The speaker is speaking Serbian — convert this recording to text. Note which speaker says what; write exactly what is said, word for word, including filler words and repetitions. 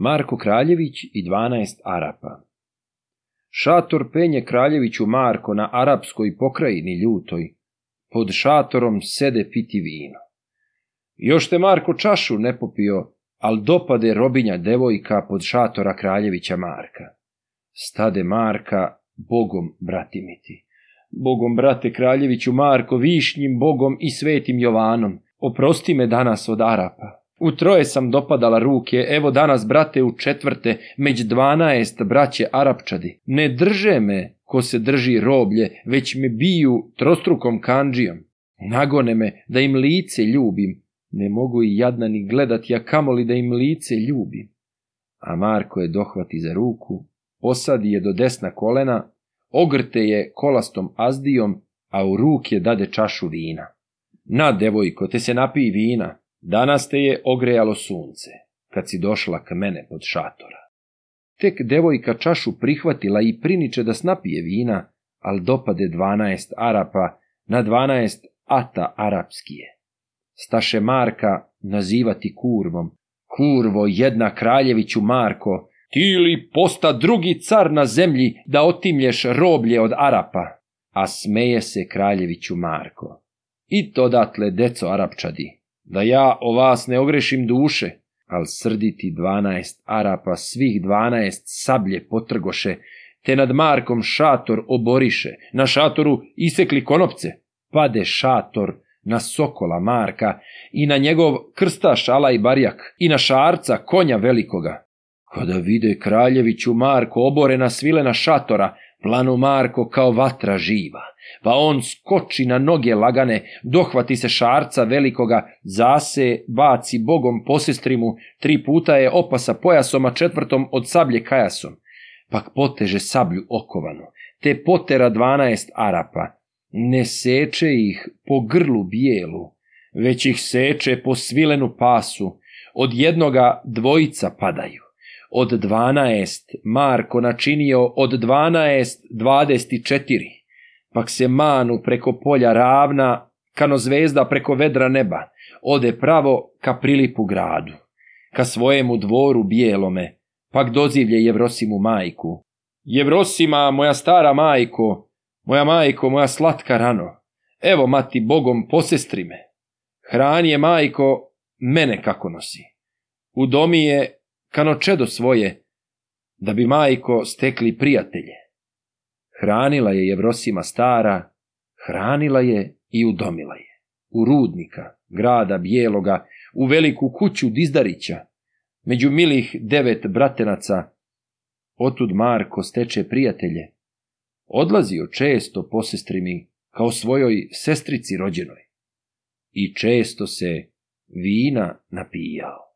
Speaker 1: Marko Kraljević i dvanaest Arapa. Šator penje kraljeviću Marko na arapskoj pokrajini ljutoj, pod šatorom sede piti vino. Još te Marko čašu ne popio, al dopade robinja devojka pod šatora kraljevića Marka. Stade Marka, Bogom bratimiti. Bogom brate kraljeviću Marko, višnjim Bogom i svetim Jovanom, oprosti me danas od Arapa. U troje sam dopadala ruke, evo danas, brate, u četvrte, među dvanaest braće Arapčadi. Ne drže me ko se drži roblje, već me biju trostrukom kandžijom. Nagone me da im lice ljubim. Ne mogu i jadna ni gledati, a kamoli da im lice ljubim. A Marko je dohvati za ruku, posadi je do desna kolena, ogrte je kolastom azdijom, a u ruke dade čašu vina. Na, devojko, te se napij vina. Danas te je ogrejalo sunce, kad si došla k mene pod šatora. Tek devojka čašu prihvatila i priniče da snapije vina, al dopade dvanaest Arapa na dvanaest ata arapskije. Staše Marka nazivati kurvom. Kurvo jedna kraljeviću Marko, ti li posta drugi car na zemlji da otimlješ roblje od Arapa? A smeje se kraljeviću Marko. I to datle, deco Arapčadi, da ja o vas ne ogrešim duše, al srditi dvanaest Arapa svih dvanaest sablje potrgoše, te nad Markom šator oboriše, na šatoru isekli konopce, pade šator na sokola Marka i na njegov krstaš Alaj Barjak i na šarca konja velikoga. Kada vide kraljeviću Marko oborena svilena šatora, planu Marko kao vatra živa, pa on skoči na noge lagane, dohvati se šarca velikoga, zase baci Bogom posestrimu, tri puta je opasa pojasom, a četvrtom od sablje kajasom. Pak poteže sablju okovanu, te potera dvanaest Arapa, ne seče ih po grlu bijelu, već ih seče po svilenu pasu, od jednoga dvojica padaju. Od dvanaest Marko načinio od dvanaest dvadeset četiri, pak se manu preko polja ravna, kano zvezda preko vedra neba, ode pravo ka Prilipu gradu, ka svojemu dvoru bijelome, pak dozivlje Jevrosimu majku. Jevrosima, moja stara majko, moja majko, moja slatka rano, evo mati Bogom posestri me. Hrani je majko mene kako nosi. U domi je kano čedo svoje, da bi majko stekli prijatelje. Hranila je Jevrosima stara, hranila je i udomila je. U rudnika, grada bijeloga, u veliku kuću Dizdarića, među milih devet bratenaca, otud Marko steče prijatelje. Odlazio često posestrimi kao svojoj sestrici rođenoj i često se vina napijao.